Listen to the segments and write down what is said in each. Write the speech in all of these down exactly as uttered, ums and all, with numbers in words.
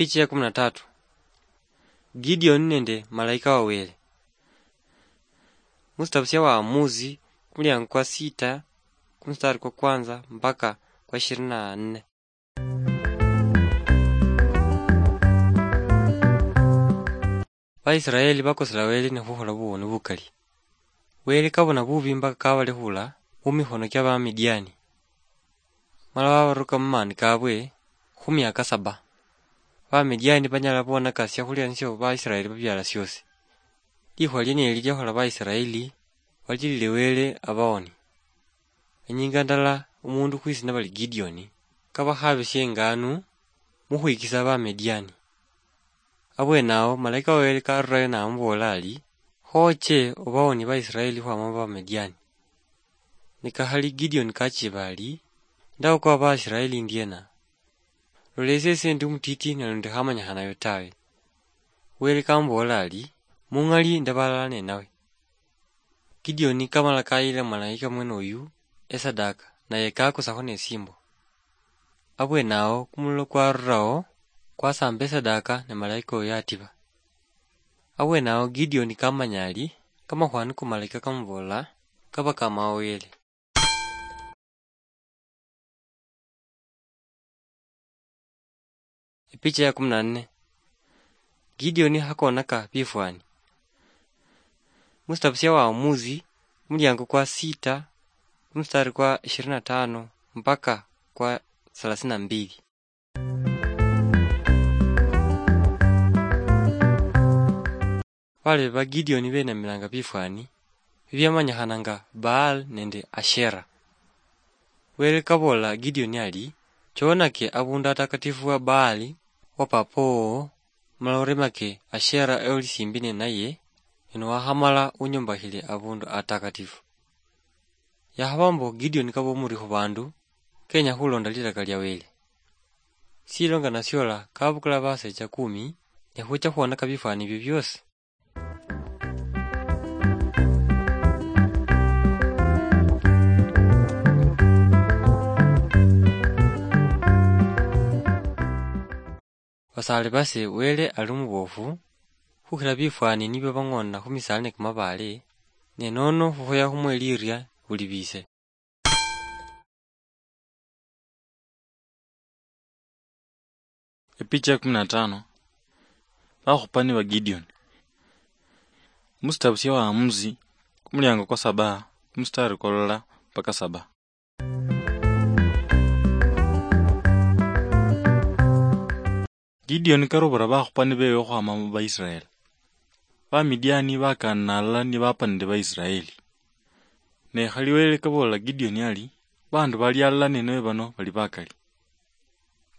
Epicha ya kumi na tatu. Gideoni nende malaika wa Wele. Musitabu sya Waamuzi, kumuliango kwa sita, kumustari kwa kwanza mpaka kwa ishirini na nne. Baisiraeli bakosela Wele ne khukhola buwoni bukali. Wele kabona bubi mpaka kabalehula mumikhono kia Bamidiani, mala wabaruka mumaani kabwe khu miaka saba. Bamidiani banyala bonaka siakhulia nisio Baisiraeli babiala siosi. Likhuwa lieneli liakhola Baisiraeli balilile Wele abawoni. Inyinga ndala, omundu khwisina bali Gideoni kabakhabisia inganu mukhwikisa Bamidiani. Abwenawo malaika wa Wele karurayo namuboola ari, "Khooche obawonie Baisiraeli khwama mu Bamidiani." Nikakhali Gideoni kachiba ari, "Ndaokoa Baisiraeli ndiena? Lola ese, ese ndi omutiti nalundi khamanyikhanayo tawe." Wele kamuboola ari, "Mungali ndaba alala nenawe." Gideoni kamala kayila malaika mwene oyu esadaka, naye kakusakho nesimbo. Abwenawo kumulilo kwarurawo, kwasamba esadaka, ne malaika oyo atiba. Abwenawo Gideoni kamanya ari kamakhwani ku malaika kamuboola kaba kamawoyele. Epicha ya kumi na nne. Gideoni hakonaka bifwani. Musitabu sya Waamuzi, kumuliango kwa sita, kumustari kwa ishirini na tano mpaka kwa thelathini na mbili. Balebe ba Gideoni benamilanga bifwani bibiamanyikhana nga Baal nende Ashera. Wele kaboola Gideoni ari, "Choonake abundu atakatifu wa Baali wa papa wowo, mala oremake Ashera oli simbi nenaye, ne niwakhamala unyombakhile abundu atakatifu." Yakhaba mbo Gideoni kaba omuri khu bandu kenya khulonda lilaka lia Wele. Silo nga nasiola kabukula basecha kumi, ne khucha khwonaka bifwani ebyo biosi. Basaale base, Wele ali omubofu khukhila bifwani nibyo bang'oona khu misaala ne kamabaale, ne nono khukhoya khumwe liria buli biise. Epicha ya kumi na tano. Bakhupani ba Gideoni. Musitabu sya Waamuzi, kumuliango kwa saba, kumustari kwa lala mpaka saba. Gideoni karobora bakhupani bewe okhwama mu Baisiraeli. Bamidiani bakaanana alala ni bapanire Baisiraeli. Ne khali Wele kaboolela Gideoni ari, "Baandu bali alala nenawe bano bali bakali.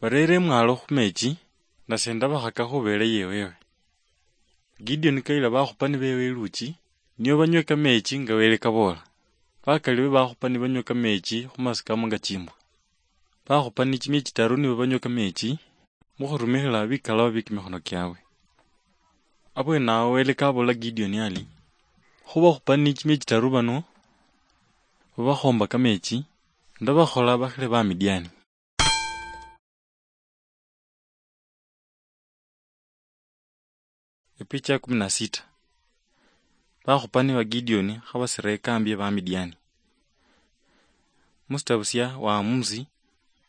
Bareere emwaalo khu meechi, nase ndabakhaka khubeele yewewe." Gideoni kayila bakhupani bewe eluuchi, nio banywe kameechi nga Wele kaboola. Bakali be bakhupani banywa kameechi khu masikamo nga chimbwa. Bakhupani chimia chitaru nibo banywa kameechi, mukhurumikhila bikalaba bie kimikhono kiabwe. Abwenawo Wele kaboola Gideoni ari, "Khubakhupani chimia chitaru bano babakhoomba kameechi, ndabakhola bakhile Bamidiani." Epicha ya kumi na sita. Bakhupani ba Gideoni khabasira ekambi ya Bamidiani. Musitabu sya Waamuzi,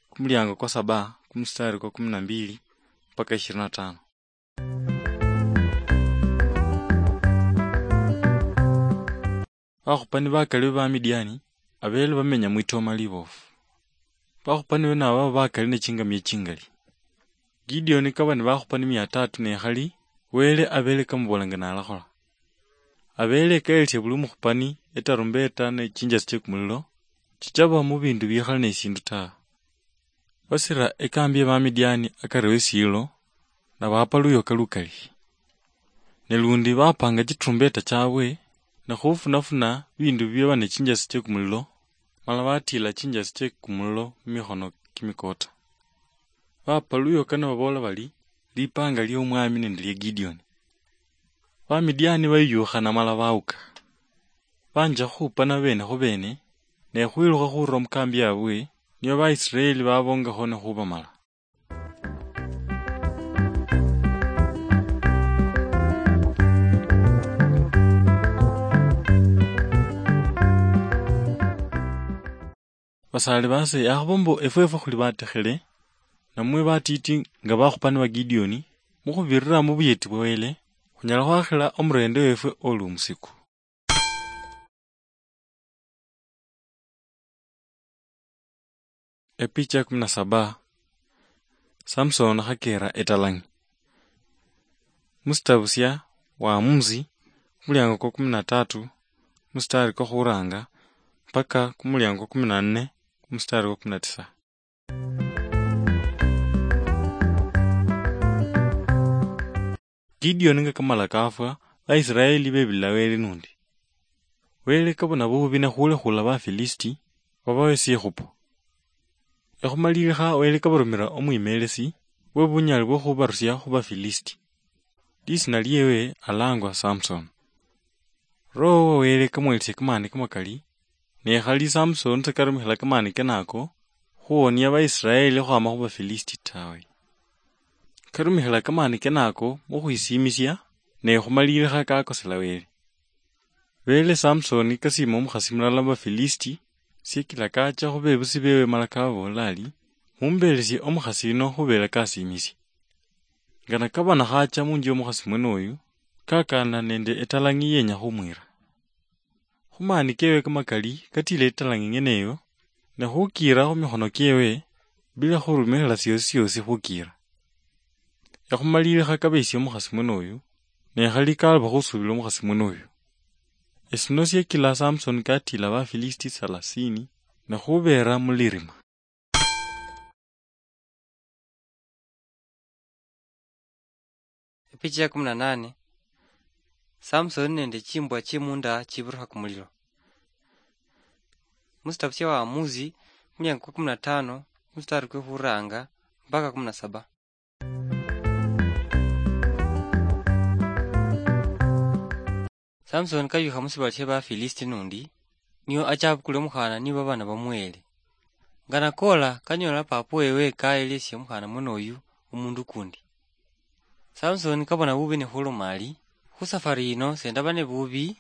kumuliango kwa saba, kumustari kwa kumi na mbili mpaka ishirini na tano. Bakhupani bakali be Bamidiani abeele bamenya mwitooma liboofu. Bakhupani bene abo baba bakali ne chingamia chingali. Gideoni kaba ni bakhupani mia tatu ne khali, Wele abeele kamuboolanga nalakhola. Abeele ekayelesia buli omukhupani etarumbeta ne chinjasi chie kumulilo, chichaba mu bindu bikhali ne sindu ta. Basira ekambi ya Bamidiani akari we siilo, nabapa luyoka lukali. Ne lundi bapanga chiturumbeta chabwe, ne khufunafuna bindu biaba ne chinjasi chie kumulilo, mala batila chinjasi chie kumulilo mu mikhono kimikota. Bapa luyoka nibaboola bari, "Lipanga lia Omwami nende lia Gideoni." Bamidiani bayuyukhana mala bauka. Banja khukhupana bene khu bene, ne khwilukha khurula mu kambi yabwe, nio Baisiraeli babongakho ne khubamala. Basaali baase, akhuba mbu efweefwe khuli batekhele, namwe batiiti nga bakhupani ba Gideoni, mukhubirira mu buyeti bwa Wele, khunyala khwakhila omurende wefwe oli omusiku. Epicha ya kumi na saba. Samson khakera etalang'i. Musitabu sia Waamuzi, kumuliango kwa kumi na tatu, musitari kwa khuranga, mpaka kumuliango kwa kumi na nne, musitari kwa kumi na tisa. Gideoni nga kamala kafwa, Baisiraeli bebila Wele nundi. Wele kabona bubi ne khulekhula Bafilisiti, babawe sikhupo. Ekhumalilikha Wele kabarumira omwimelesi we bunyali bwo khubarusia khu Bafilisiti. Lisina liewe alangwa Samson. Roho wa Wele kamwelesia kamani kamakali, ne khali Samson sekarumikhila kamani kenako khuwonia Baisiraeli khwama khu Bafilisiti tawe. Karumikhila kamani kenako mukhwisiimisia, ne khumalilikha kakosela Wele. Bele Samsoni kasiima omukhasi mulala mu Bafilisiti, sikila kacha khu bebusi bewe mala kababoolela ari, "Mumbeelesie omukhasi yuno khubeela kasiimisia." Ngana kabona khacha munju yomukhasi mwene oyu, kakana nende etalang'i yenya khumwira. Khumaani kewe kamakali katila etalang'i ng'ene eyo, ne khukiira khu mikhono kyewe, bila khurumikhila siosi siosi khukiira. Ekhumalilikha kabeesia omukhasi mwene oyu, ne khali kaloba khusuubila omukhasi mwene oyu. Esino siekila Samsoni katila Bafilisiti salasini, ne khubeera mulirima. Epicha ya kumi na nane. Samsoni nende chimbwa chie munda chibirukha kumulilo. Musitabu sia Waamuzi, muliango kwa kumi na tano, mustari kwe khuranga mpaka kumi na saba. Samsoni kayukha musibala sia Bafilisiti nundi, nio acha abukule omukhana nibo abana bamuhele. Ngana kola, kanyola papa wewe kaelesia omukhana mwene oyu omundu kundi. Samsoni kabona bubi ne khuloma ari, "Khu safari yino sendaba ne bubi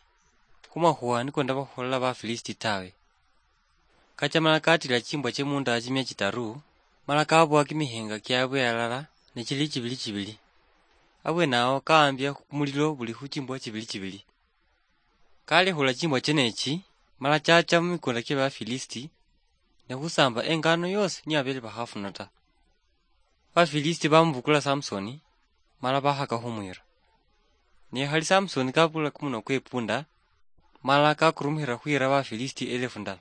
khu makhuwa niko ndabakholela Bafilisiti tawe." Kacha mala katila chimbwa chie munda chimia chitaru, mala kaboa kimihenga kiabwe alala ne chili chibili chibili. Abwenawo kaambia kumulilo buli khu chimbwa chibili chibili. Kalekhula chimbwa chenechi, mala chacha mu mikunda kie Bafilisiti, ne khusamba engano yosi niabele bakhafuna ta. Bafilisiti bamubukula Samsoni, mala bakhaka khumwira. Ne khali Samsoni kabukula kumuno kwe punda, mala kakurumukhira khwira Bafilisiti elefu ndala.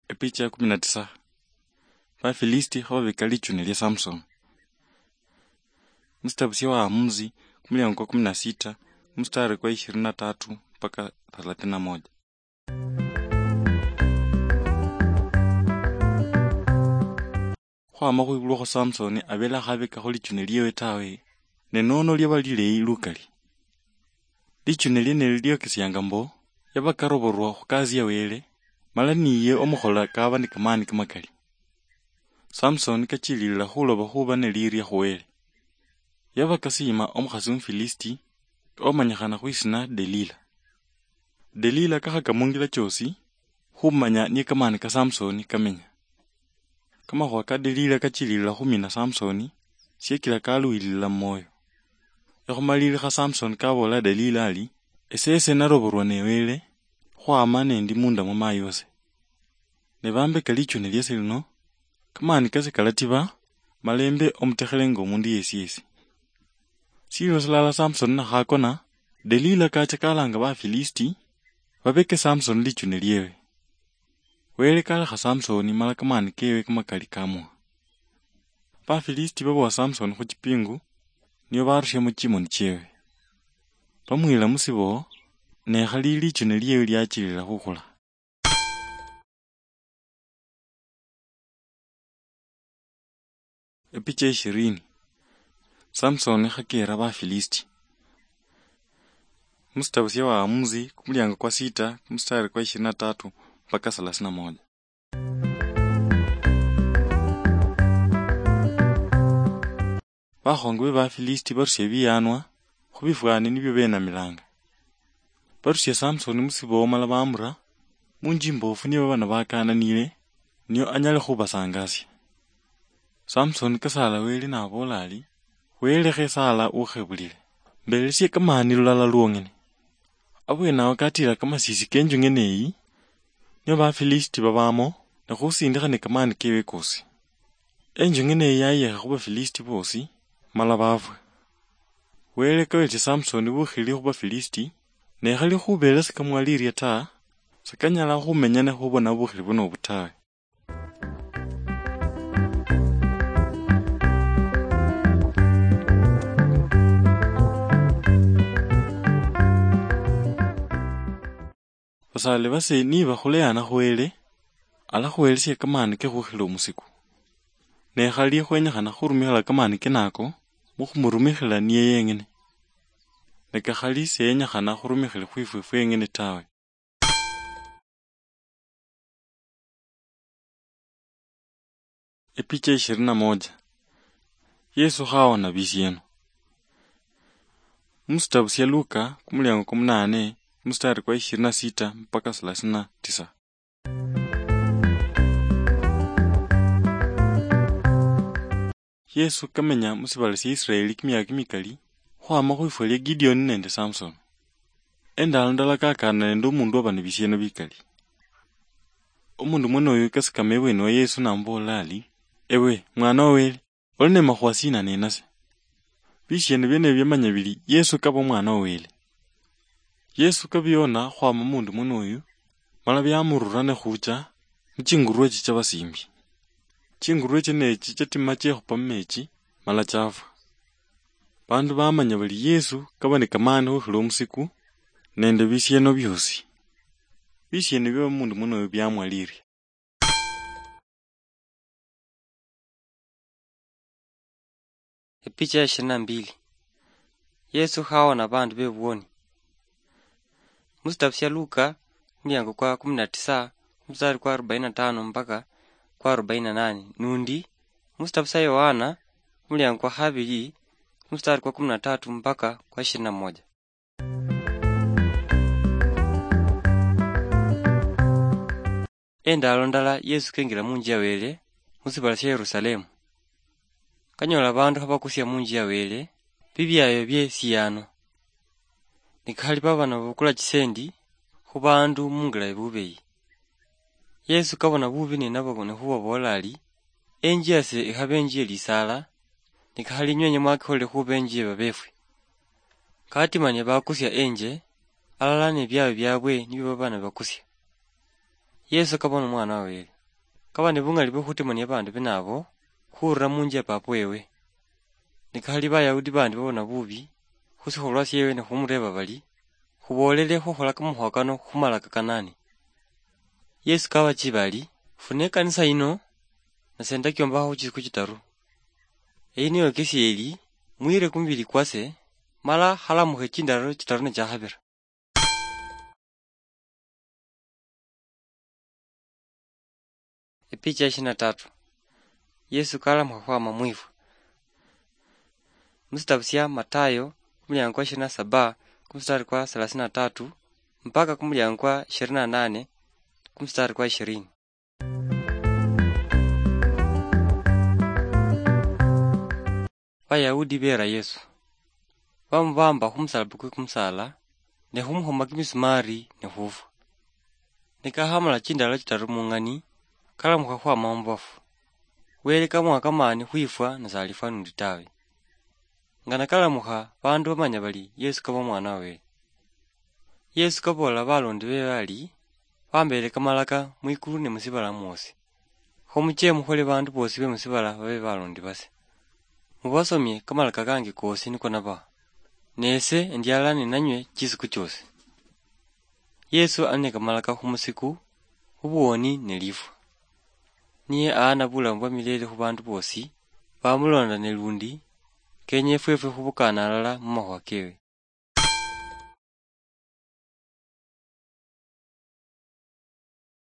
Epicha ya kumi na tisa. Bafilisiti khababeka lichune lia Samsoni. Musitabu sia Waamuzi, kumuliango kwa kumi na sita, mustari kwa ishirini na tatu mpaka thelathini na moja. Khwama khwibulwa khwa Samsoni abele akhabekakho lichune liewe tawe, ne nono liaba lileyi lukali. Lichune lienelo liokesianga mbo, yaba karoborwa khu kazi ya Wele, mala niye omukhola kaba ni kamani kamakali. Samsoni kachililila khuloba khuba ne liria khu Wele. Yaba kasiima omukhasi Omufilisiti, omanyikhana khwisina Delila. Delila kakhaka mungila choosi, khumanya niye kamani ka Samsoni kamenya. Kamakhuwa ka Delila kachililila khumina Samsoni, siekila kaluhilila mumwoyo. Ekhumalilikha Samsoni kaboola Delila ari, "Esese naroborwa ne Wele, khwama nendi munda mwa mayi wase. Ne bambeka lichune liase lino, kamani kase kalatiba, mala embe omutekhele nga omundu yesi yesi." Sililo silala Samsoni nakhakona, Delila kacha kalanga Bafilisiti, babeke Samsoni lichune liewe. Wele kalekha Samsoni mala kamani kewe kamakali kamuha. Bafilisiti babowa Samsoni khu chipingu, nio barusiamo chimoni chiewe. Bamwila musibo, ne khali lichune liewe liachilila khukhula. Epicha ishirini. Samsoni khakeera Bafilisiti. Musitabu sia Waamuzi, kumuliango kwa sita, kumustari kwa ishirini na tatu mpaka thelathini na moja. Bakhongo be Bafilisiti barusia ebiyanwa khu bifwani nibio benamilanga. Barusia Samsoni musibowo mala bamura munjimbofu niye babana bakananile, nio anyale khubasangasia. Samsoni kasaala Wele naboola ari, "Wele khesaala ukhebulile, mbelesie kamaani lulala lwong'ene." Abweene awo katiila kamasisi kenju ng'ene eyi, nio Bafilisiti babamo, ne khusindikha ne kamaani kewe kosi. Enju ng'ene eyi yayekha khu Bafilisiti bosi, mala bafwa. Wele kaweelesya Samsoni bukhili khu Bafilisiti, ne khali khubeelesa kamwaliirya ta, sakanyala khumenya ne khubona bukhili buno obu tawe. Basaale base nibakhuleyana khu Wele, alakhuwelesya kamaani ke khukhila omusiku. Ne khali khwenyikhana khurumikhila kamaani kenako mukhumurumikhila niye yeng'ene. Ne kakhali seyenyikhana khurumikhila khwifwe fweng'ene tawe. Epicha ishirini na moja. Yesu khawona bisieno. Musitabu sya Luka, kumuliango kwa munane, mustari kwa ishirini na sita mpaka thelathini na tisa. Yesu kamenya musibala sya Israeli kimiaka kimikali, khwama khwifwa lya Gideoni nende Samsoni. Endalo ndala kakana nende omundu oba nebisieno bikali. Omundu mwene oyo kasikama ebweni wa Yesu namuboolera ari, "Ewe, mwana wa Wele, oli nemakhuwa sina nenase?" Bisieno biene ebyo byamanya biri Yesu kaba omwana wa Wele. Yesu kabiona khwama omundu mwene oyo, mala byamurura nekhucha muchingurwe chicha basimbi. Chingurwe chienechi chatima chekhupa mumechi, mala chafwa. Bandu bamanya bari Yesu kaba ni kamani khukhila omusiku nende bisieno biosi. Bisieno bia omundu muno biamwalirya. Epicha ya ishirini na mbili. Yesu khawona bandu bebuwoni. Musitabu sya Luka, kumuliango kwa kumi na tisa, kumustari kwa arobaini na tano mpaka kwa arobaini na nane, nundi musitabu sya Yohana, kumuliango kwa khabili, kumustari kwa kumi na tatu mpaka kwa ishirini na moja. Endalo ndala Yesu kengira munju ya Wele musibala sya Yerusalemu. Kanyola bandu khabakusia munju ya Wele bibiayo bie siyaano. Nikakhali baba nababukula chisendi khu bandu mungila ebubeyi. Yesu kabona bubi ne nabo ne khubaboola ari, "Enju yase ikhabe enju ye lisaala, nikakhali inywe enywe mwakikholile khuba enju ye babefwi." Katimania bakusia enje, alala ne biayo biabwe nibio baba nibakusia. Yesu kabona omwana wa Wele. Kaba ne bungali bwe khutimania abandu bene abo khurula munju ya papa wewe. Nikakhali Bayahudi bandi babona bubi khu sikholwa siewe ne khumureeba bari, "Khuboolele khukhola kamakhuwa kano khu malaka kanani?" Yesu kabachiba ari, "Fune ekanisa yino, nase ndakiombakhakho khu chisiku chitaru. Eyi niyo kesi eli, muyire kumubili kwase, mala khalamukhe chindalo chitaru ne chakhabira." Epicha ya ishirini na tatu. Yesu kalamukha khwama mwifwa. Musitabu sya Matayo, kumuliango kwa ishirini na saba, kumustari kwa thelathini na tatu, mpaka kumuliango kwa ishirini na nane, kumustari kwa ishirini. Bayahudi beera Yesu. Bamubamba khumusalaba kwe kumusaala, ne khumukhoma kimisumari, ne khufwa. Nikakhamala chindalo chitaru mung'ani, kalamukha khwama mubafu. Wele kamuha kamani khwifwa, nasalifwa nundi tawe. Nga nakalamukha, bandu bamanya bali Yesu kaba omwana wa Wele. Yesu kaboolela balondi bewe ari, "Bambeele kamalaka mwikulu ne musibala mwosi. Kho muche mukhole bandu bosi be musibala babe balondi base. Mubasomie kamalaka kange kosi niko nabaha. Ne ese endialala ninanywe chisiku chiosi." Yesu ali ne kamalaka khumusiku, khubuwoni ne lifwa. Niye aana bulamu bwa milele khu bandu bosi bamulonda ne lundi kenya efwefwe khubukana alala mu makhuwa kewe.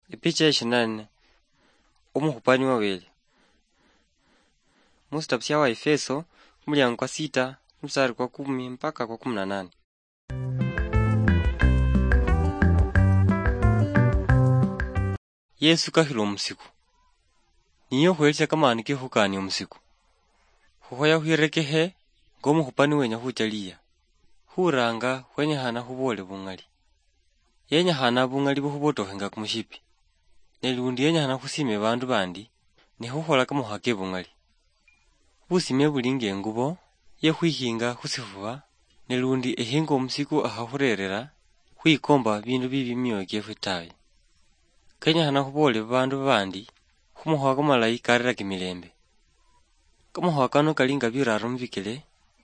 Epicha ya ishirini na nne. Omukhupani wa Wele. Musitabu sya Waefeso, kumuliango kwa sita, musari kwa kumi mpaka kwa kumi na nane. Yesu kakhila omusiku. Niye okhwelisia kamani kekhukania omusiku. Khukhoya khwirekehe ngomukhupa niwenya khucha liya. Khuranga khwenyekhana khuboole bung'ali. Yenyekhana bung'ali bukhubotokhe nga kumushipi. Ne lundi yenyekhana khusime bandu bandi ne khukhola kamakhuwa ke bung'ali. Busime buli nga engubo ye khwikhinga khusifuba, ne lundi ehinga omusiku akhakhurerera khwikomba bindu bibi mumioyo kiefwe tawe. Kenyekhana khuboole babandu babandi khumakhuwa kamalayi karera kimilembe. Kamakhuwa kano kali nga biraaro mubikele,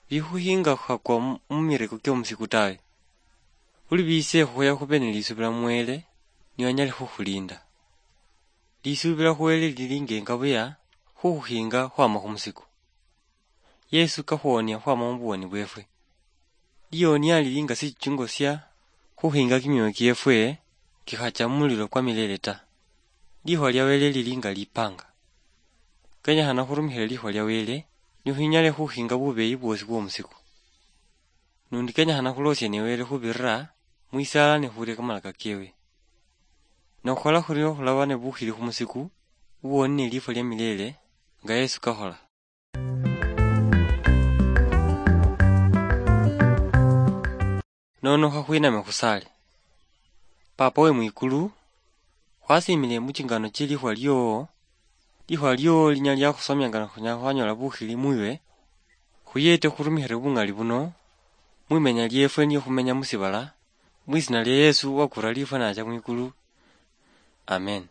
bikhukhinga khwakwa mu-, mumireko kiomusiku tawe. Buli biise khukhoya khube ne lisubila mu Wele, niye anyale khukhulinda. Lisubila khu Wele lili nga engabuya khukhukhinga khwama khumusiku. Yesu kakhuwonia khwama mubuwoni bwefwe. Liwonia lili nga sichungo sia khukhinga kimioyo kiefwe kikhacha mumulilo kwa milele ta. Likhuwa lia Wele lili nga lipanga. Kenyekhana khurumikhile likhuwa lia Wele, nikhwinyale khukhinga bubeyi bwosi bwomusiku. Nundi kenyekhana khulosie ne Wele khubirira mwisaala ne khuria kamalaka kewe. Nokhukhola khurio khulaba ne bukhili khumusiku, uwoni ne lifwa lia milele, nga Yesu kakhola. Nono khakhwiname khusaale. Papa we mwikulu, khwasimile muchingano chie likhuwa liowo, likhuwa liowo linyala liakhusomia nga khunyala khwanyola bukhili mwiwe, khuyete khurumikhile bung'ali buno, mwimenya liefwe niyo khumenya musibala, mwisina lia Yesu wakura lifwa nacha mwikulu. Amen.